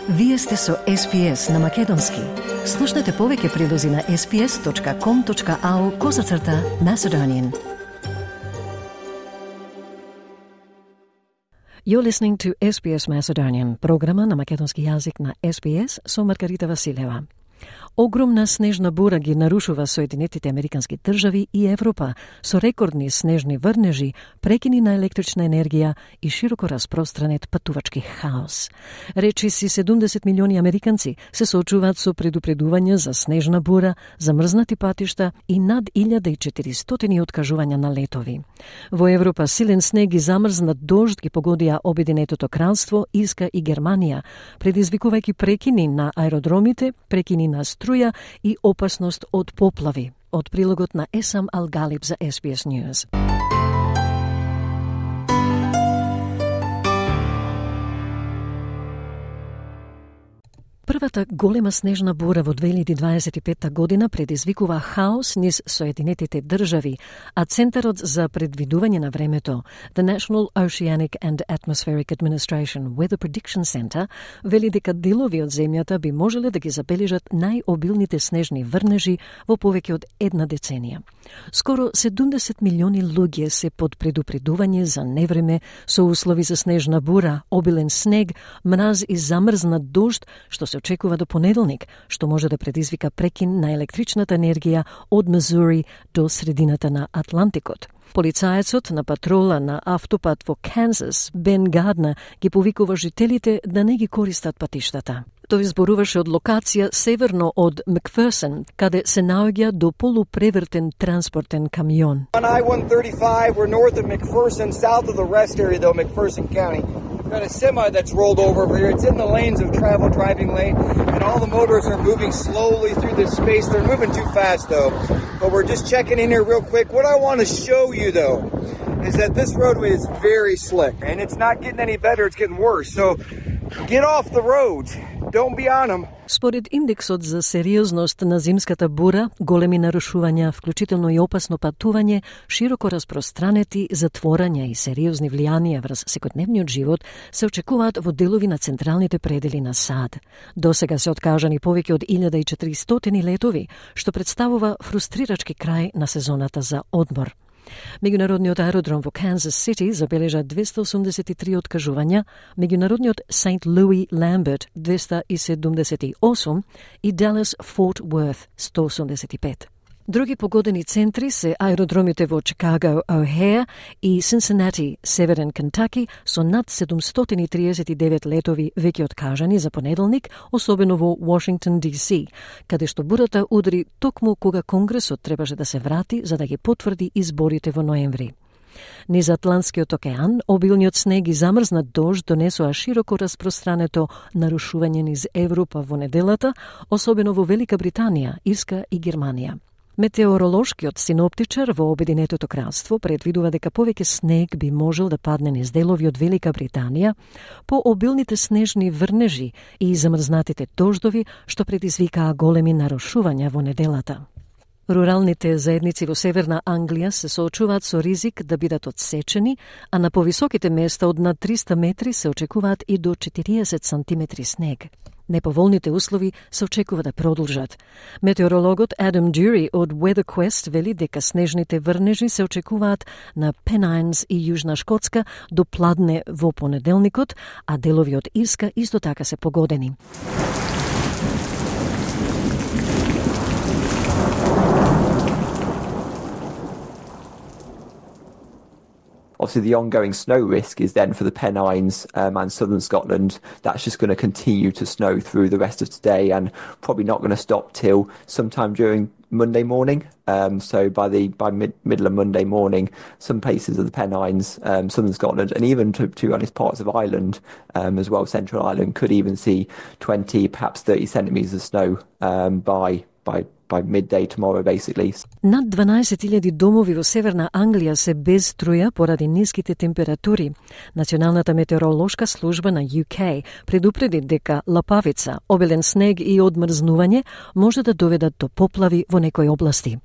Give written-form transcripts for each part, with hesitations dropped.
Вие сте со SPS на Македонски. Слушнете повеќе прилози на sps.com.au/Macedonian. You're listening to SBS Macedonian, програма на македонски јазик на SBS со Маргарита Василева. Огромна снежна бура ги нарушува Соединетите Американски држави и Европа со рекордни снежни врнежи, прекини на електрична енергија и широко распространет патувачки хаос. Речиси 70 милиони американци се соочуваат со предупредувања за снежна бура, замрзнати патишта и над 1400 откажувања на летови. Во Европа силен снег и замрзнат дожд ги погодија Обединетото кралство, Ирска и Германија, предизвикувајќи прекини на аеродромите, прекини на струја и опасност од поплави. Од прилогот на Есам Алгалиб за SBS News. Првата голема снежна бура во 2025 година предизвикува хаос низ Соединетите држави, а Центарот за предвидување на времето, The National Oceanic and Atmospheric Administration Weather Prediction Center, вели дека делови од земјата би можеле да ги забележат најобилните снежни врнежи во повеќе од една деценија. Скоро 70 милиони луѓе се под предупредување за невреме со услови за снежна бура, обилен снег, мраз и замрзнат дожд, што се очекува до понеделник, што може да предизвика прекин на електричната енергија од Мизури до средината на Атлантикот. Полицаецот на патрола на автопат во Канзас, Бен Гарднер, ги повикува жителите да не ги користат патиштата. Тој зборуваше од локација северно од Макферсон, каде се наоѓа до полупревртен транспортен камион. On I-135, we're north of McPherson, south of the rest area though, McPherson County. Got a semi that's rolled over here. It's in the lanes of travel, driving lane, and all the motors are moving slowly through this space. They're moving too fast though, but we're just checking in here real quick. What I want to show you though is that this roadway is very slick, and it's not getting any better, it's getting worse. So get off the roads. Don't be on them. Според индексот за сериозност на зимската бура, големи нарушувања, вклучително и опасно патување, широко распространети затворања и сериозни влијанија врз секојдневниот живот се очекуваат во делови на централните предели на САД. Досега се откажани повеќе од 1400 летови, што представува фрустрирачки крај на сезоната за одмор. Меѓународниот аеродром во Канзас Сити забележа 283 откажувања, меѓународниот Сент Луи Ламберт 278 и Далас Форт Уорт 185. Други погодени центри се аеродромите во Чикаго, О'Хејр и Синсинати, Северен Кентаки, со над 739 летови веќе откажани за понеделник, особено во Вашингтон, DC, каде што бурата удри токму кога Конгресот требаше да се врати за да ги потврди изборите во ноември. Низ Атлантскиот океан, обилниот снег и замрзнат дожд донесоа широко распространето нарушување низ Европа во неделата, особено во Велика Британија, Ирска и Германија. Метеоролошкиот синоптичар во Обединетото кралство предвидува дека повеќе снег би можел да падне низ делови од Велика Британија по обилните снежни врнежи и замрзнатите дождови, што предизвикаа големи нарушувања во неделата. Руралните заедници во Северна Англија се соочуваат со ризик да бидат одсечени, а на повисоките места од над 300 метри се очекуваат и до 40 сантиметри снег. Неповолните услови се очекува да продолжат. Метеорологот Адам Dury од WeatherQuest вели дека снежните врнежи се очекуваат на Пенайнс и Јужна Шкотска до пладне во понеделникот, а делови од Ирска исто така се погодени. Obviously, the ongoing snow risk is then for the Pennines and southern Scotland. That's just going to continue to snow through the rest of today and probably not going to stop till sometime during Monday morning. So by middle of Monday morning, some places of the Pennines, southern Scotland, and even to honest parts of Ireland as well, Central Ireland, could even see 20, perhaps 30 centimetres of snow by midday tomorrow, basically. Над 12.000 домови во Северна Англија се без струја поради ниските температури. Националната метеоролошка служба на UK предупреди дека лапавица, обилен снег и одмрзнување може да доведат до поплави во некои области.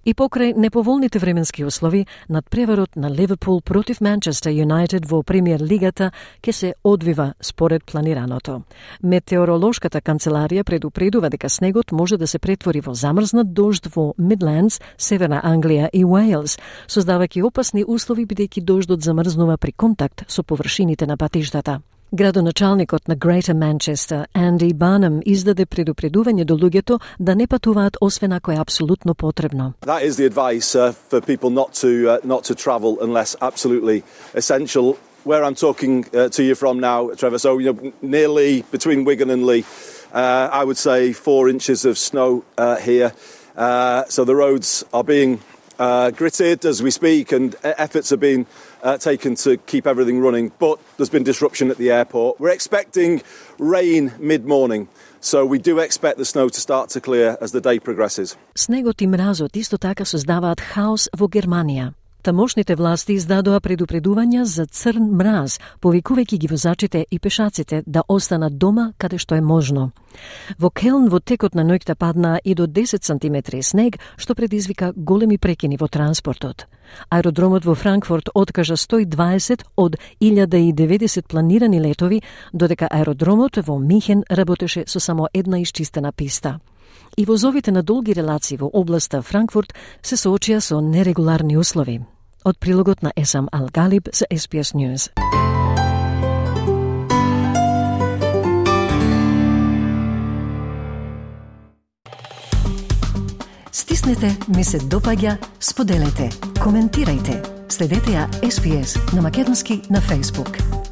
И покрај неповолните временски услови, надпреварот на Ливерпул против Манчестер Юнайтед во премиер лигата ќе се одвива според планираното. Метеоролошката канцеларија предупредува дека снегот може да се претвори во замрзнат дожд во Мидлендс, Северна Англија и Уейлс, создавајќи опасни услови бидејќи дождот замрзнува при контакт со површините на патиштата. Градоначалникот на Greater Manchester, Andy Barnum, издаде предупредување до луѓето да не патуваат освен ако е апсолутно потребно. That is the advice for people not to travel unless absolutely essential. Where I'm talking to you from now, Trevor, so near Lee, between Wigan and Lee, I would say 4 inches of snow here. So the roads are being gritted as we speak, and efforts are being taken to keep everything running, but there's been disruption at the airport. We're expecting rain mid-morning, so we do expect the snow to start to clear as the day progresses. Снегот и мразот исто така создаваат хаос во Германија. Тамошните власти издадоа предупредувања за црн мраз, повикувајќи ги возачите и пешаците да останат дома каде што е можно. Во Келн во текот на ноќта паднаа и до 10 сантиметри снег, што предизвика големи прекини во транспортот. Аеродромот во Франкфурт откажа 120 од 1090 планирани летови, додека аеродромот во Михен работеше со само една исчистена писта. И возовите на долги релации во областа Франкфурт се соочија со нерегуларни услови. Од прилогот на Есам Ал-Галиб за SBS News. Стиснете, ми се допаѓа, споделете, коментирајте. Следете ја SBS на македонски на Facebook.